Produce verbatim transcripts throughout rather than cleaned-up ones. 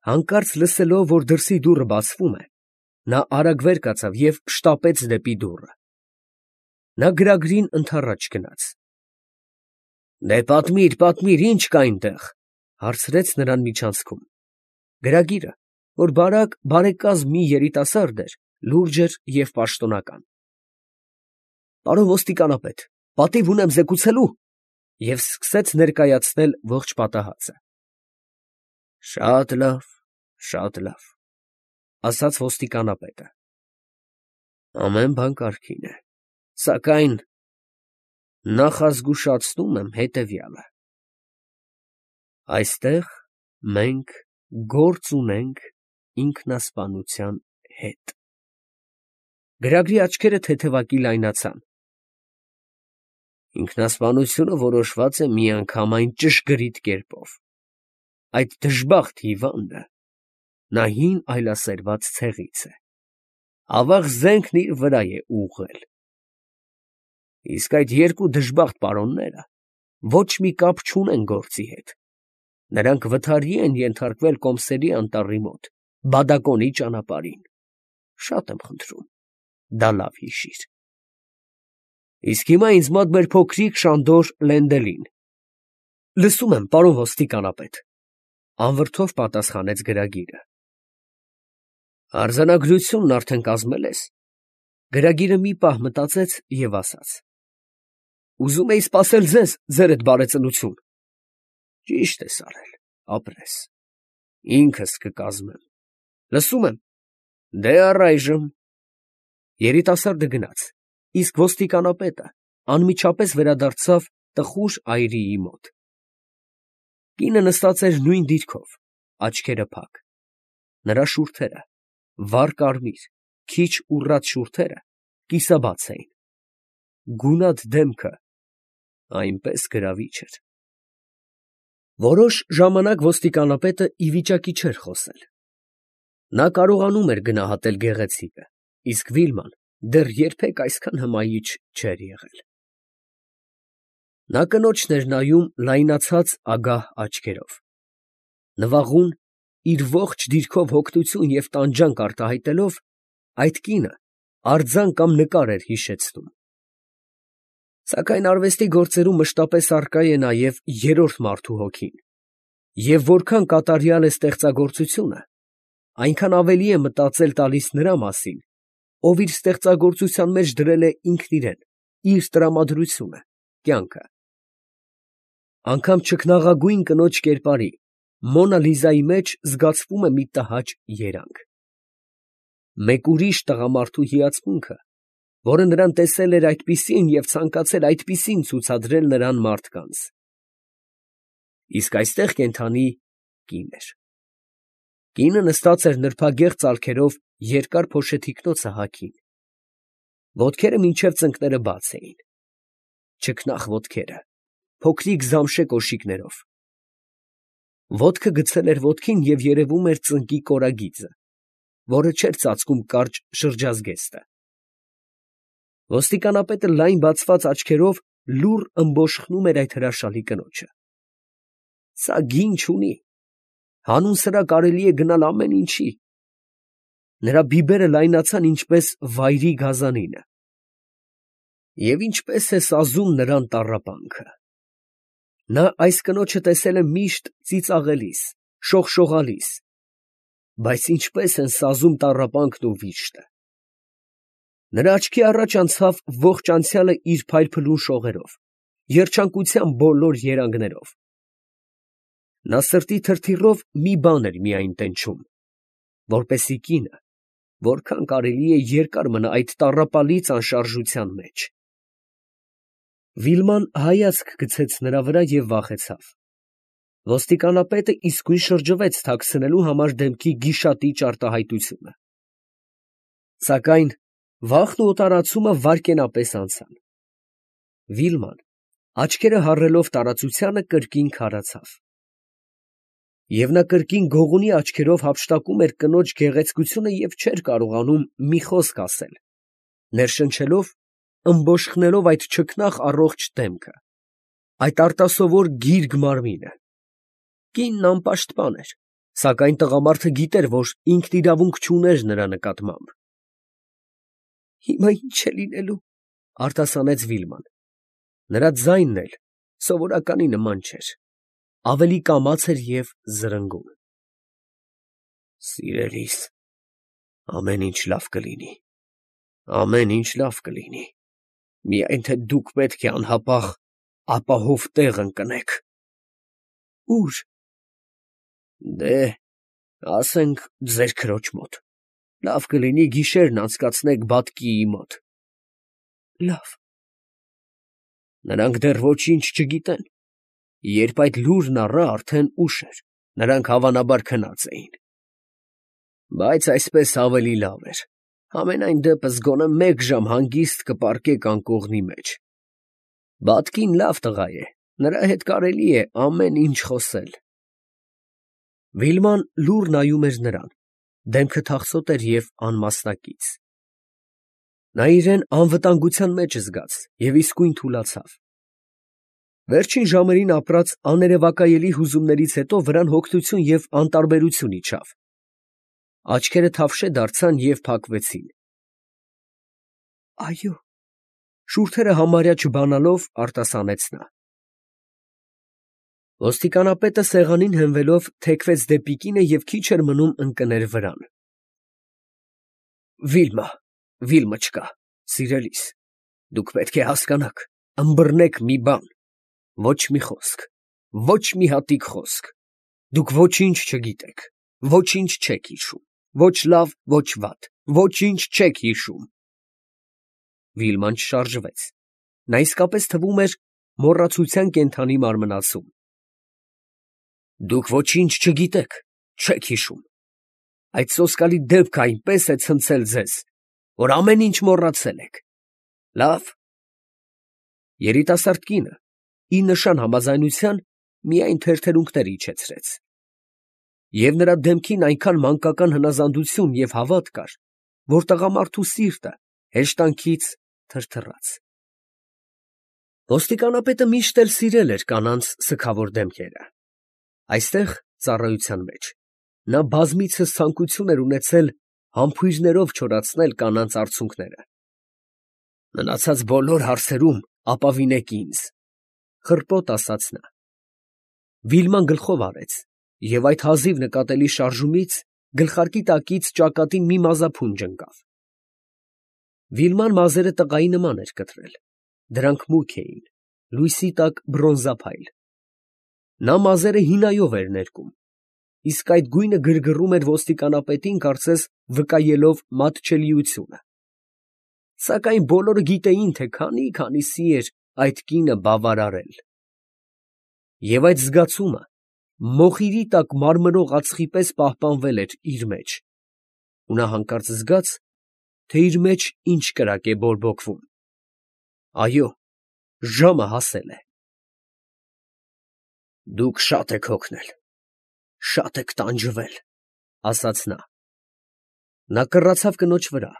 Հանկարծ լսելով, որ դրսի դուռը բացվում է, նա արագ վեր կացավ և շտապեց դեպի դուռը. նա գրագրին ընդառաջ գնաց։ ֊ Պատմիր, պատմիր, ի՞նչ կա այնտեղ, ֊ հարցրեց նրան միջանցքում։ Գրագիրը, որ բարակ, բարեկազմ մի երիտասարդ էր, լուրջ էր և պաշտոնական։ ֊ Պարոն ոստիկանապետ, պատիվ ունեմ զեկուցելու, ֊ և սկսեց ներկայացնել ողջ պատահածը։ ֊ Շատ լավ, շատ լավ, ֊ ասաց ոստիկանապետը, ֊ ամեն բան կարգին է, սակայն նախազգուշացնում եմ հետևյալը. այստեղ մենք գործ ունենք ինքնասպանության հետ։ Գրագրի աչքերը թեթևակի լայնացան։ Ինքնասպանությունը որոշված է միանգամայն ճշգրիտ կերպով. այդ դժբախտ հիվանդը նա հին այլասերված ցեղից է, ավաղ զենքն իր վրա է ուղղել։ Իսկ այդ երկու դժբախտ պարոնները ոչ մի կապ չունեն գործի հետ. նրանք վթարի են ենթարկվել Կոմսերի անտառի մոտ, բադակոնի ճանապարհին, շատ եմ խնդրում, դա լավ հիշիր։ Իսկ հիմա ինձ մոտ մեր փոքրիկ շանդոր Լենդելին։ ֊ Լսում եմ, պարոն ոստիկանապետ, ֊ անվրդով պատասխանեց գրագիրը։ ֊ Արձանագրությունն արդեն կազմել ես։ Գրագիրը մի պահ մտածեց և ասաց. ֊ Ուզում էի սպասել ձեզ, ձերդ բարեծնություն։ ֊ Ճիշտ ես արել, ապրես, ինքս կկազմեմ։ ֊ Լսում եմ։ ֊ Դե առայժմ… Երիտասարդը գնաց, իսկ ոստիկանապետը անմիջապես վերադարձավ տխուր այրիի մոտ։ Կինը նստած էր նույն դիրքով, աչքերը փակ. նրա շուրթերը, վառ կարմիր, քիչ ուռած շուրթերը կիսաբաց էին, գունատ դեմքը այնպես գրավիչ էր։ Որոշ ժամանակ ոստիկանապետը ի վիճակի չէր խոսել։ Նա կարողանում էր գնահատել գեղեցիկը, իսկ Վիլման դեռ երբեք այսքան հմայիչ չէր եղել։ Նա կնոջն էր նայում լայնացած ագահ աչքերով։ Նվաղուն, իր ողջ դիրքով հոգնություն և տանջանք արտահայտելով, այդ կինը արձան կամ նկար էր հիշեցնում։ Սակայն արվեստի գործերում մշտապես առկա է նաև երրորդ մարդու հոգին, և որքան կատարյալ է ստեղծագործությունը, այնքան ավելի է մտածել տալիս նրա մասին, ով իր ստեղծագործության մեջ դրել է ինքն իրեն, իր տրամադրությունը, կյանքը։ Անգամ չքնաղագույն կնոջ կերպարի, Մոնա Լիզայի մեջ զգացվում է մի տհաճ երանգ։ Մեկ ուրիշ տղամարդու հիացմունքը, որը նրան տեսել էր այդպիսին և ցանկացել այդպիսին ցուցադրել նրան մարդկանց։ Իսկ այստեղ կենդանի կին էր։ Կինը նստած էր նրբագեղ ծալքերով երկար փոշեթիկնոցը հագին։ Ոտքերը մինչև ծնկները բաց էին, չքնաղ ոտքերը, փոքրիկ զամշե կոշիկներով։ Ոտքը գցել էր ոտքին և երևում էր ծնկի կորագիծը, որը չէր ծածկում կարճ շրջազգեստը։ Ոստիկանապետը լայն բացված աչքերով լուռ ըմբոշխնում էր այդ հրաշալի կնոջը։ Սա գին չունի, հանուն սրա կարելի է գնալ ամեն ինչի։ Նրա բիբերը լայնացան ինչպես վայրի գազանինը։ Եվ ինչպես է սազում նրան տառապանքը։ Նա այս կնոջը տեսել է միշտ ծիծաղելիս, շողշողալիս, բայց ինչպես են սազում տառապանքն ու վիշտը։ Նրա աչքի առաջ անցավ ողջ անցյալը իր փայլփլուն շողերով, երջանկության բոլոր երանգներով։ Նա սրտի թրթիռով մի բան էր միայն տենչում, որպեսզի կինը որքան կարելի է երկար մնա այդ տառապալից անշարժության մեջ։ Վիլման հայացք գցեց նրա վրա և վախեցավ։ Ոստիկանապետը իսկույն շրջվեց թաքցնելու համար դեմքի գիշատիչ արտահայտությունը։ Սակայն վախն ու օտարացումը վայրկենապես անցան։ Վիլման, աչքերը հառելով տարածությանը, կրկին քարացավ։ Եվ նա կրկին գողունի աչքերով հափշտակում էր կնոջ գեղեցկությունը և չէր կարողանում մի խոսք ասել, ներշնչելով, ըմբոշխնելով այդ չքնաղ առողջ դեմքը, այդ արտասովոր գիրգ մարմինը։ Կինն անպաշտպան էր, Սակայն տղամարդը գիտեր, որ ինքն իրավունք չուներ նրա նկատմամբ։ «Հիմա ի՞նչ է լինելու», ֊ արտասանեց Վիլման. նրա ձայնն էլ սովորականի նման չէր, ավելի կամաց էր և զրնգուն։ «Սիրելիս, ամեն ինչ լավ կլինի, ամեն ինչ լավ կլինի, միայն թե դուք պետք է անհապաղ ապահով տեղ ընկնեք»։ «Ո՞ւր»։ «Դե, ասենք ձեր քրոջ մոտ, լավ կլինի գիշերն անցկացնեք բատկիի մոտ»։ «Լավ»։ Նրանք դեռ ոչինչ չգիտեն. երբ այդ լուրն առա, արդեն ուշ էր, նրանք հավանաբար քնած էին։ Բայց այսպես ավելի լավ էր, համենայն դեպս գոնե մեկ ժամ հանգիստ կպառկեք անկողնի մեջ։ Բատկին լավ տղա է, նրա հետ կարելի է ամեն ինչ խոսել։ Վիլման լուռ նայում էր նրան, դեմքը թախծոտ էր և անմասնակից։ Նա իրան անվտանգության մեջ զգաց և իսկույն թուլացավ։ Վերջին ժամերին ապրած աներևակայելի հուզումներից հետո վրան հոգնություն և անտարբերություն իջավ։ Աչքերը թավշե դարձան և փակվեցին։ «Այո», շուրթերը համարյա չբանալով արտասանեց նա։ Ոստիկանապետը սեղանին հենվելով թեքվեց դեպի կինը և քիչ էր մնում ընկներ վրան։ «Վիլմա, Վիլմոչկա, սիրելիս, դուք պետք է հասկանաք, ըմբռնեք մի բան, ոչ մի խոսք, ոչ մի հատիկ խոսք, դուք ոչինչ չգիտեք, ոչինչ չեք հիշում, ոչ լավ, ոչ վատ, ոչինչ չեք հիշում»։ Վիլման չշարժվեց. նա իսկապես թվում էր մոռացության կենդանի մարմնացում։ «Դուք ոչինչ չգիտեք, չեք հիշում։ Այդ սոսկալի դեպքը այնպես է ցնցել ձեզ, որ ամեն ինչ մոռացել եք։ Լավ»։ Երիտասարդ կինը, ի նշան համաձայնության, միայն թերթերունքներ իջեցրեց։ Եվ նրա դեմքին այնքան մանկական հնազանդություն և հավատ կար, որ տղամարդու սիրտը հեշտանքից թրթռաց։ Ոստիկանապետը միշտ էլ սիրել էր կանանց սգավոր դեմքերը։ Այստեղ, ծառայության մեջ, նա բազմիցս ցանկություն էր ունեցել համբույրներով չորացնել կանանց արցունքները։ «Մնացած բոլոր հարցերում ապավինեք ինձ», ֊ խռպոտ ասաց նա։ Վիլման գլխով արեց, և այդ հազիվ նկատելի շարժումից գլխարկի տակից ճակատին մի մազափունջ ընկավ։ Վիլման մազերը տղայի նման էր կտրել, դրանք մուգ էին, լույսի տակ բրոնզափայլ։ Նա մազերը հինայով էր ներկում, իսկ այդ գույնը գրգռում էր ոստիկանապետին, կարծես վկայելով մատչելիությունը։ Սակայն բոլորը գիտեին, թե քանի՜֊քանիսի էր այդ կինը բավարարել։ Եվ այդ զգացումը մոխիրի տակ մարմրող ածխի պես պահպանվել էր իր մեջ, ու նա հանկարծ զգաց, թե իր մեջ ինչ կրակ է բորբոքվում։ Այո, ժամը հասել է։ «Դուք շատ եք հոգնել, շատ եք տանջվել», ֊ ասաց նա։ Նա կռացավ կնոջ վրա,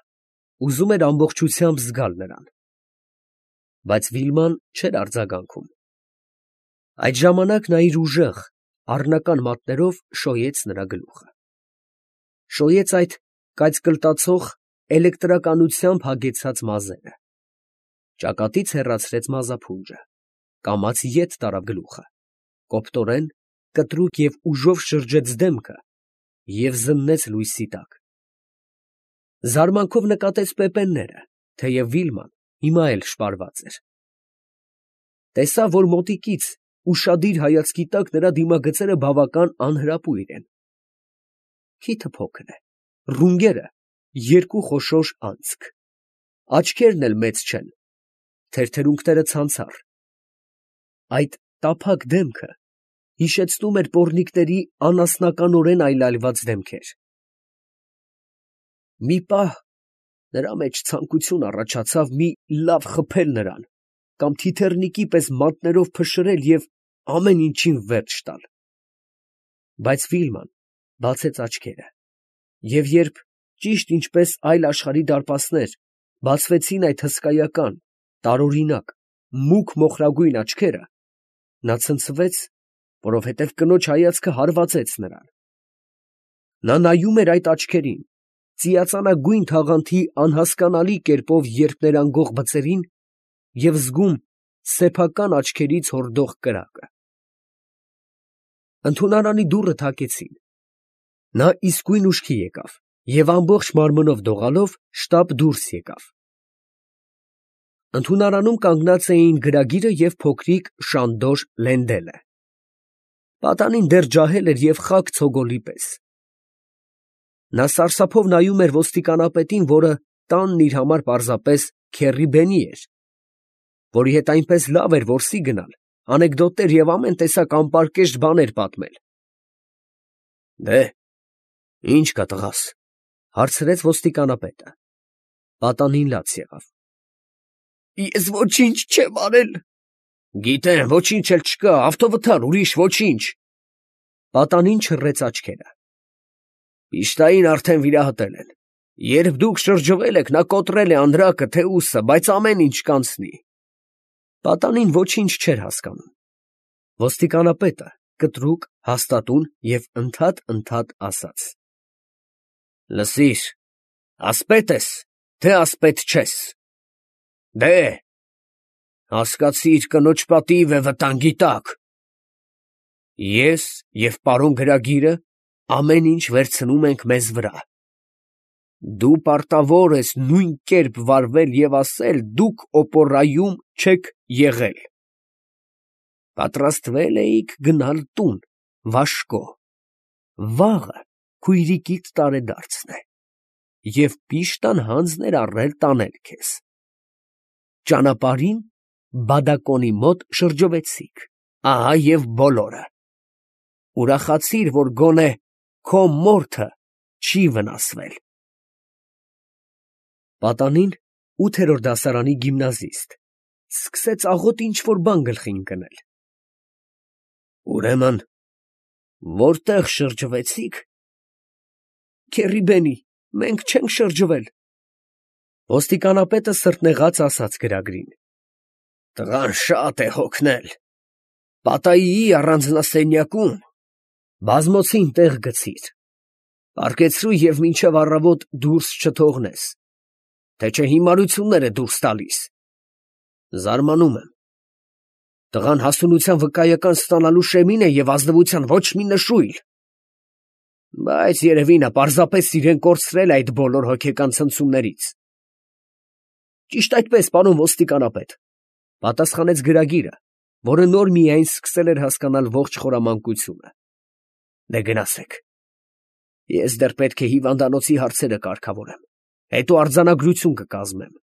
ուզում էր ամբողջությամբ զգալ նրան։ Բայց Վիլման չէր արձագանքում։ Այդ ժամանակ նա իր ուժեղ, առնական մատներով շոյեց նրա գլուխը։ Շոյեց այդ կայծկլտացող էլեկտրականությամբ հագեցած մազերը։ Ճակատից հեռացրեց մազափունջը, կամաց ետ տարավ գլուխը, կոպտորեն, կտրուկ և ուժով շրջեց դեմքը և զննեց լույսի տակ։ Զարմանքով նկատեց պեպենները, թեև Վիլման հիմա էլ շպարված էր։ Տեսավ, որ մոտիկից ուշադիր հայացքի տակ նրա դիմագծերը բավական անհրապույր են։ Քիթը փոքր է, ռունգերը երկու խոշոր անցք, աչքերն էլ մեծ չեն, թերթերունքները ցանցառ։ Այդ տափակ դեմքը հիշեցնում էր պոռնիկների անասնականորեն այլայլված դեմքեր։ Մի պահ նրա մեջ ցանկություն առաջացավ մի լավ խփել նրան կամ թիթեռնիկի պես մատներով փշրել և ամեն ինչին վերջ տալ։ Բայց Վիլման բացեց աչքերը, և երբ, ճիշտ ինչպես այլ աշխարհի դարպասներ, բացվեցին այդ հսկայական, տարօրինակ, մուգ մոխրագույն աչքերը, նա ցնցվեց, որովհետև կնոջ հայացքը հարվածեց նրան։ Նա նայում էր այդ աչքերին, ծիածանագույն թաղանթի անհասկանալի կերպով երկներանգող բծերին և զգում սեփական աչքերից հորդող կրակը։ Ընդունարանի դուռը թակեցին։ Նա իսկույն ուշքի եկավ և ամբողջ մարմնով դողալով շտապ դուրս եկավ։ Ընդունարանում կանգնած էին գրագիրը և փոքրիկ շանդոր Լենդելը։ Պատանին դեռ ջահել էր և խաք ցոգոլի պես։ Նա սարսափով նայում էր ոստիկանապետին, որը տանն իր համար պարզապես քեռի էր, որի հետ այնպես լավ էր որսի գնալ, անեկդոտներ և ամեն տեսակ անպարկեշտ բաներ պատմել։ ֊ Ի՞նչ կա տղաս, ֊ հարցրեց ոստիկանապետը։ Պատանին լաց եղավ։ ֊ Ես ոչինչ չեմ արել։ ֊ Գիտեմ, ոչինչ էլ չկա, ավտովթար, ուրիշ ոչինչ։ Պատանին չռեց աչքերը։ ֊ Վիշտային արդեն վիրահատել են. երբ դուք շրջվել եք, նա կոտրել է անդրակը, թեուսը, բայց ամեն ինչ կանցնի։ Պատանին ոչինչ չէր հասկանում։ Ոստիկանապետը կտրուկ, հաստատուն և ընդհատ֊ընդհատ ասաց. ֊ Լսիր, ասպետ ես, թե ասպետ չես։ ֊ Դե՛։ ֊ Հասկացիր, կնոջ պատիվ է վտանգի տակ։ Ես և պարոն գրագիրը ամեն ինչ վերցնում ենք մեզ վրա։ Դու պարտավոր ես նույն կերպ վարվել և ասել դուք օպոռայում չեք եղել. պատրաստվել էիք գնալ տուն, Վաշկո, վաղը քույրիկիդ տարեդարձն է, և պիշտան հանձն էր առել տանել քեզ։ Ճանապարհին բադակոնի մոտ շրջվեցիք, ահա և բոլորը։ Ուրախացիր, որ գոնե քո մորթը չի վնասվել։ Պատանին, ութերորդ դասարանի գիմնազիստ, սկսեց աղոտ ինչ֊որ բան գլխի ընկնել։ ֊ Ուրեմն ո՞րտեղ շրջվեցիք։ ֊ Քեռի, մենք չենք շրջվել։ Ոստիկանապետը սրտնեղած ասաց գրագրին. ֊ Տղան շատ է հոգնել. Պատայիի առանձնասենյակում բազմոցին տեղ գցիր. պառկեցրու և մինչև առավոտ դուրս չթողնես, թե չէ հիմարություններ է դուրս տալիս։ Զարմանում եմ. տղան հասունության վկայական ստանալու շեմին է և ազնվության ոչ մի նշույլ։ Բայց երևի նա պարզապես իրեն կորցրել է այդ բոլոր հոգեկան ցնցումներից։ ֊ Ճիշտ այդպես, պարոն ոստիկանապետ, ֊ պատասխանեց գրագիրը, որը նոր միայն սկսել էր հասկանալ ողջ խորամանկությունը։ ֊ Դե գնացեք, ես դեռ պետք է հիվանդանոցի հարցերը կարգավորեմ, հետո արձանագրություն կկազմեմ։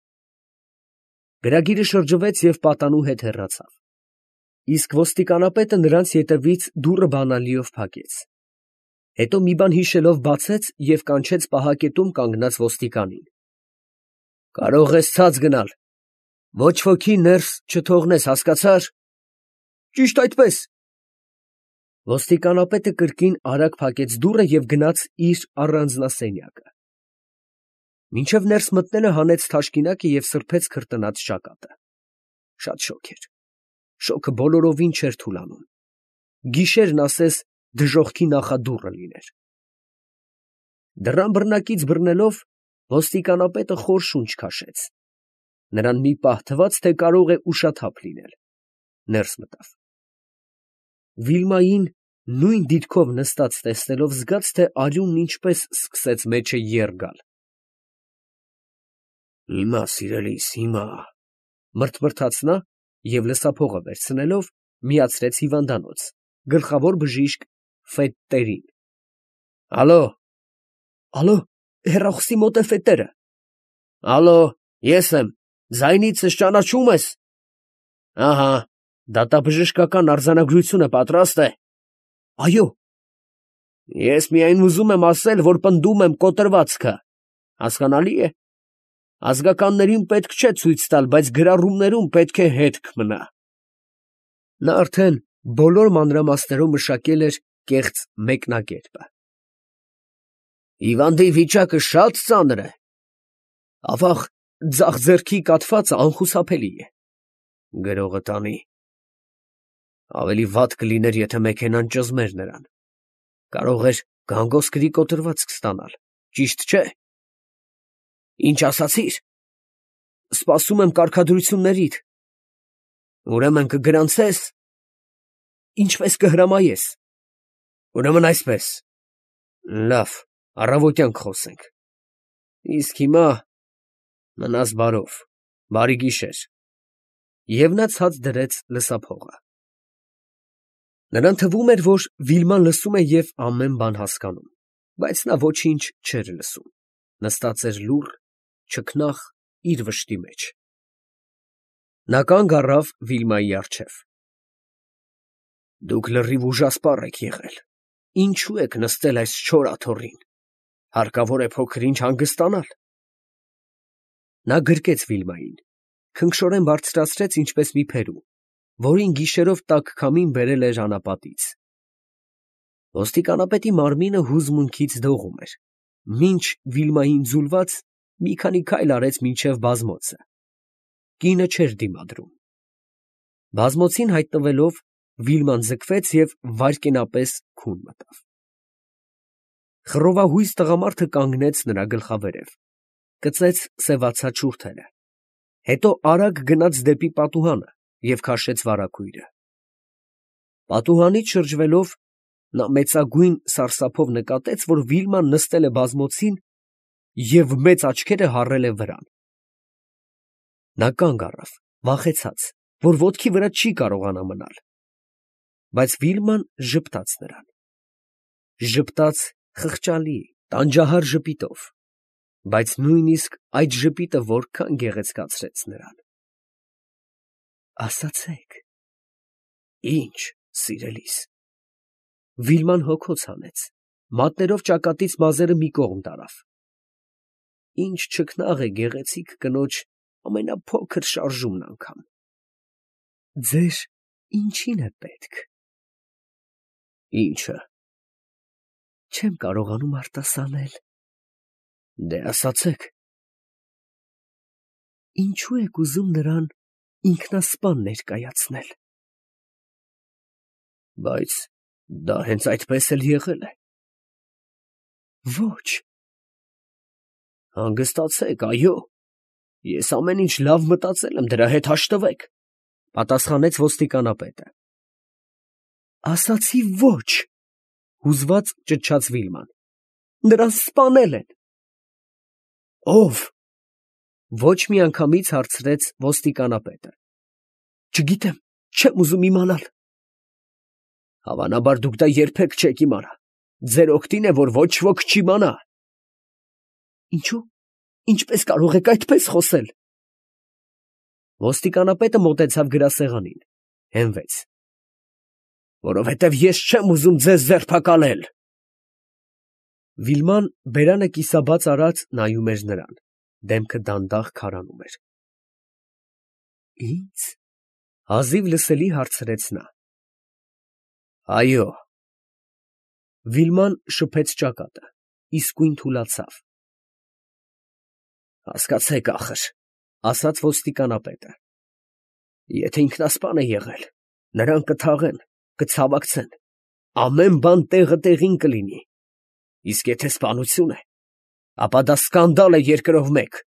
Գրագիրը շրջվեց և պատանու հետ հեռացավ, իսկ ոստիկանապետը նրանց ետևից դուռը բանալիով փակեց։ Հետո մի բան հիշելով բացեց և կանչեց պահակետում կանգնած ոստիկանին։ ֊ Կարող ես ցած գնալ, ոչ ոքի ներս չթողնես, հասկացա՞ր։ ֊ Ճիշտ այդպես։ Ոստիկանապետը կրկին արագ փակեց դուռը և գնաց իր առանձնասենյակը։ Մինչև ներս մտնելը հանեց թաշկինակը և սրբեց քրտնած ճակատը։ Շատ շոգ էր, շոգը բոլորովին չէր թուլանում, գիշերն ասես դժոխքի նախադուռը լիներ։ Դռան բռնակից բռնելով, ոստիկանապետը խոր շունչ քաշեց։ Նրան մի պահ թվաց, թե կարող է ուշաթափ լինել, ներս մտավ։ Վիլմային նույն դիրքով նստած տեսնելով, զգաց, թե արյունն ինչպես սկսեց մեջը եռ գալ։ «Հիմա, սիրելիս, հիմա», ֊ մրթմրթաց նա և լսափողը վերցնելով, միացրեց հիվանդանոց, գլխավոր բժիշկ Ֆեթտերին։ ֊ Ալո։ ֊ Ալո, հեռախոսի մոտ է Ֆետերը։ ֊ Ալո, ես եմ, ձայնիցս ճանաչո՞ւմ ես։ ֊ Ահա, դատաբժշկական արձանագրությունը պատրաստ է։ ֊ Այո։ ֊ Ես միայն ուզում եմ ասել, որ պնդում եմ կոտրվածքը, հասկանալի է։ Ազգականներին պետք չէ ցույց տալ, բայց գրառումներում պետք է հետք մնա։ Նա արդեն բոլոր մանրամասներով մշակել էր կեղծ մեկնակերպը։ ֊ Հիվանդի վիճակը շատ ծանր է։ ֊ Ավաղ, ձախ ձեռքի կաթվածը անխուսափելի է։ ֊ Գրողը տանի։ ֊ Ավելի վատ կլիներ, եթե մեքենան ճզմեր նրան, կարող էր Գանգոսկրի կոտրվածք ստանալ, ճիշտ չէ։ Ինչ ասացիր։ Սպասում եմ կարգադրություններիդ։ Ուրեմն կգրանցես։ Ինչպես կհրամայես։ Ուրեմն այսպես։ Լավ, առավոտյան կխոսենք։ Իսկ հիմա մնաս բարով, բարի գիշեր։ Եվ նա ցած դրեց լսափողը։ Նրան թվում էր, որ Վիլման լսում է և ամեն բան հասկանում, բայց նա ոչինչ չէր լսում, նստած էր լուռ, չքնաղ իր վշտի մեջ։ Նա կանգ առավ Վիլմայի առջև։ Դուք լրիվ ուժասպառ եք եղել, ինչու եք նստել այս չոր աթոռին, հարկավոր է փոքր-ինչ հանգստանալ։ Նա գրկեց Վիլմային, քնքշորեն բարձրացրեց ինչպես մի փերու, որին գիշերով տաք քամին բերել էր անապատից։ Ոստիկանապետի մարմինը հուզմունքից դողում էր, մինչ Վիլմային ձուլված մի քանի քայլ արեց մինչև բազմոցը։ Կինը չէր դիմադրում։ Բազմոցին հայտնվելով, Վիլման ձգվեց և վայրկենապես քուն մտավ։ Խռովահույս տղամարդը կանգնեց նրա գլխավերև, կծեց սևացած շուրթերը, հետո արագ գնաց դեպի պատուհանը և քաշեց վարագույրը։ Պատուհանից շրջվելով, նա մեծագույն սարսափով նկատեց, որ Վիլման նստել է բազմոցին և մեծ աչքերը հառել է վրան։ Նա կանգ առավ, վախեցած, որ ոտքի վրա չի կարողանա մնալ, բայց Վիլման ժպտաց նրան, ժպտաց խղճալի, տանջահար ժպիտով, բայց նույնիսկ այդ ժպիտը որքան գեղեցկացրեց նրան։ Ասացեք։ Ի՞նչ, սիրելիս։ Վիլման հոգոց հանեց, մատներով ճակատից մազերը մի կողմ տարավ։ Ինչ չքնաղ է գեղեցիկ կնոջ ամենափոքր շարժումն անգամ։ Ձեր ինչի՞ն է պետք։ Ի՞նչը։ Չեմ կարողանում արտասանել։ Դե ասացեք։ Ինչու եք ուզում նրան ինքնասպան ներկայացնել։ Բայց դա հենց այդպես էլ եղել է։ Ոչ։ Հանգստացեք, այո։ Ես ամեն ինչ լավ մտածել եմ, դրա հետ հաշտվեք, պատասխանեց ոստիկանապետը։ Ասացի ոչ, հուզված ճչաց Վիլման։ Նրան սպանել են։ Ո՞վ։ Ոչ մի անգամից հարցրեց ոստիկանապետը։ Չգիտեմ, չեմ ուզում իմանալ։ Հավանաբար դուք դա երբեք չեք իմանա։ Ձեր օգտին է, որ ոչ ոք չիմանա։ Ինչու՞։ Ինչպես կարող եք այդպես խոսել։ Ոստիկանապետը մոտեցավ գրասեղանին, հենվեց։ Որովհետև ես չեմ ուզում ձեզ ձերբակալել։ Վիլման բերանը կիսաբաց արած նայում էր նրան, դեմքը դանդաղ քարանում էր։ Ի՞նձ։ Հազիվ լսելի հարցրեց նա։ Այո։ Վիլման շփեց ճակատը, իսկույն թուլացավ։ Հասկացեք ախր, ասաց ոստիկանապետը։ Եթե ինքնասպան է եղել, նրան կթաղեն, կցավակցեն, ամեն բան տեղը տեղին կլինի, իսկ եթե սպանություն է, ապա դա սկանդալ է երկրով մեկ,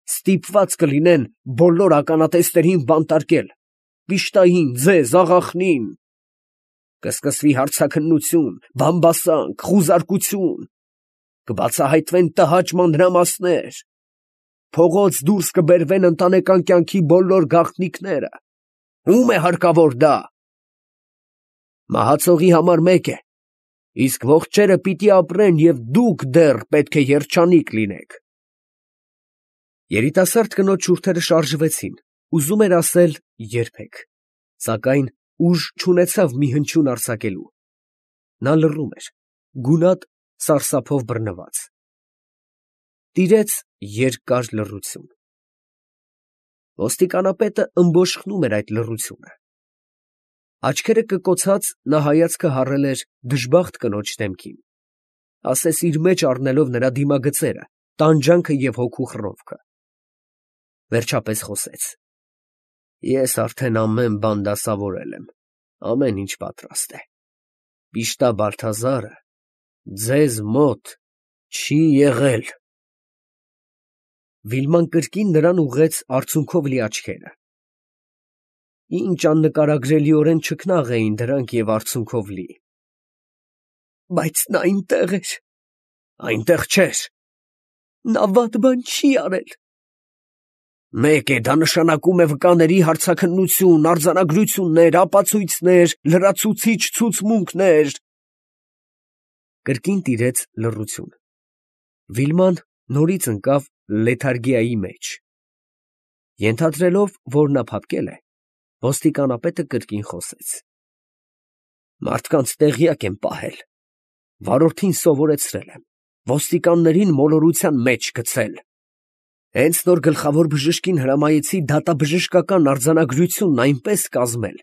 ստիպված կլինեն բոլոր ականատեսներին բանտարկել, վիշտային, ձեզ, աղախնին, կսկսվի հարցաքննություն, բամբասանք, խուզարկություն, կբացահայտվեն տհաճ մանրամասներ, փողոց դուրս կբերվեն ընտանեկան կյանքի բոլոր գաղտնիքները, ո՞ւմ է հարկավոր դա։ Մահացողի համար մեկ է, իսկ ողջերը պիտի ապրեն և դուք դեռ պետք է երջանիկ լինեք։ Երիտասարդ կնոջ շուրթերը շարժվեցին, ուզում էր ասել երբեք, սակայն ուժ չունեցավ մի հնչյուն արձակելու։ Նա լռում էր, գունատ սարսափով բռնված։ Տիրեց երկար լռություն։ Ոստիկանապետը ըմբոշխնում էր այդ լռությունը։ Աչքերը կկոցած նա հայացքը հառել էր դժբախտ կնոջ դեմքին, ասես իր մեջ առնելով նրա դիմագծերը, տանջանքը և հոգու խռովքը։ Վերջապես խոսեց. Ես արդեն ամեն բան դասավորել եմ, ամեն ինչ պատրաստ է։ Պիշտա Բալթազարը Ձեզ մոտ չի եղել։ Վիլման կրկին նրան ուղղեց արցունքով լի աչքերը. ինչ աննկարագրելիորեն չքնաղ էին դրանք և արցունքով լի։ Բայց նա այնտեղ էր։ Այնտեղ չէր։ Նա վատ բան չի արել։ Մեկ է, դա նշանակում է վկաների հարցաքննություն, արձանագրություններ, ապացույցներ, լրացուցիչ ցուցմունքներ… Կրկին տիրեց լռություն։ Վիլման նորից ընկավ լեթարգիայի մեջ։ Ենթադրելով, որ նա փափկել է, ոստիկանապետը կրկին խոսեց. Մարդկանց տեղյակ եմ պահել, վարորդին սովորեցրել եմ, ոստիկաններին մոլորության մեջ գցել… Հենց նոր գլխավոր բժշկին հրամայեցի դատաբժշկական արձանագրությունն այնպես կազմել,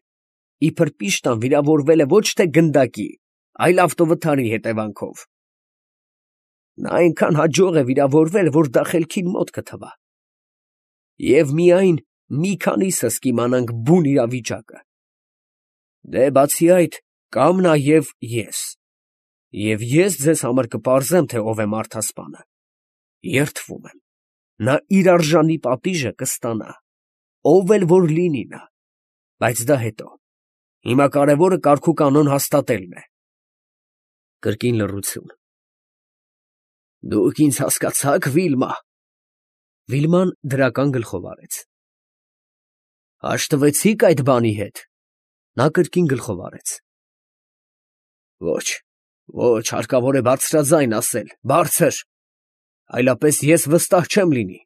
իբր Պիշտան վիրավորվել է ոչ թե գնդակի, այլ ավտովթարի հետևանքով… Նա այնքան հաջող է վիրավորվել, որ դա խելքին մոտ կթվա… Եվ միայն մի քանիսս կիմանանք բուն իրավիճակը… Դե, բացի այդ, կամ նաև ես… Եվ ես ձեզ համար կպարզեմ, թե ով է մարդասպանը… Երդվում եմ… Նա իր արժանի պատիժը կստանա, ով էլ որ լինի նա… Բայց դա հետո… Հիմա կարևորը կարգուկանոն հաստատելն է… Կրկին լռություն։ Դուք ինձ հասկացա՞ք, Վիլմա… Վիլման դրական գլխով արեց։ Հաշտվեցի՞ք այդ բանի հետ… Նա կրկին գլխով արեց։ Ոչ… Ոչ… Հարկավոր է բարձրաձայն ասել… Բարձր… Այլապես ես վստահ չեմ լինի…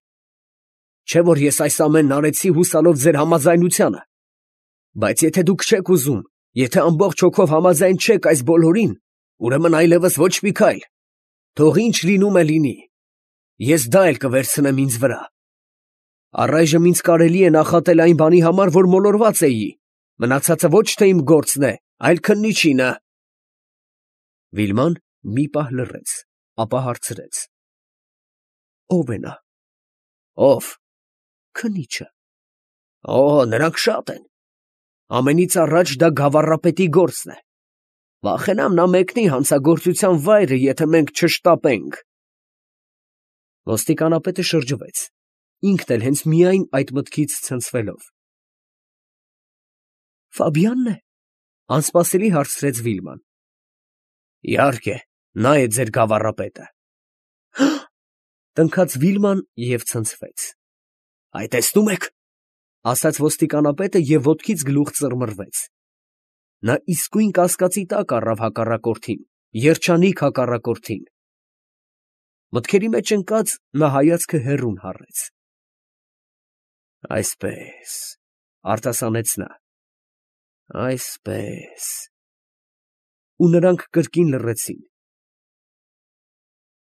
Չէ՞ որ ես այս ամենն արեցի հուսալով ձեր համաձայնությանը… Բայց եթե դուք չեք ուզում, եթե ամբողջ հոգով համաձայն չեք այս բոլորին, ուրեմն այլևս ոչ մի քայլ… Թող ինչ լինում է լինի… Ես դա էլ կվերցնեմ ինձ վրա… Առայժմ ինձ կարելի է նախատել այն բանի համար, որ մոլորված էի… Մնացածը ոչ թե իմ գործն է, այլ քննիչինը… Վիլման մի պահ լռեց, ապա հարցրեց. Ո՞վ է նա… Ո՞վ… Քննիչը… Օ՜, նրանք շատ են… Ամենից առաջ դա գավառապետի գործն է… Վախենամ նա մեկնի հանցագործության վայրը, եթե մենք չշտապենք… Ոստիկանապետը շրջվեց, ինքն էլ հենց միայն այդ մտքից ցնցվելով։ Ֆաբիանն է… անսպասելի հարցրեց Վիլման։ Իհարկե, նա է ձեր գավառապետը… Տնքաց Վիլման և ցնցվեց։ Այ տեսնում եք… ասաց ոստիկանապետը և ոտքից գլուխ ծռմռվեց… Նա իսկույն կասկածի տակ առավ հակառակորդին, երջանիկ հակառակորդին… Մտքերի մեջ ընկած, նա հայացքը հեռուն հառեց… Այսպես… արտասանեց նա… Այսպես… Ու նրանք կրկին լռեցին։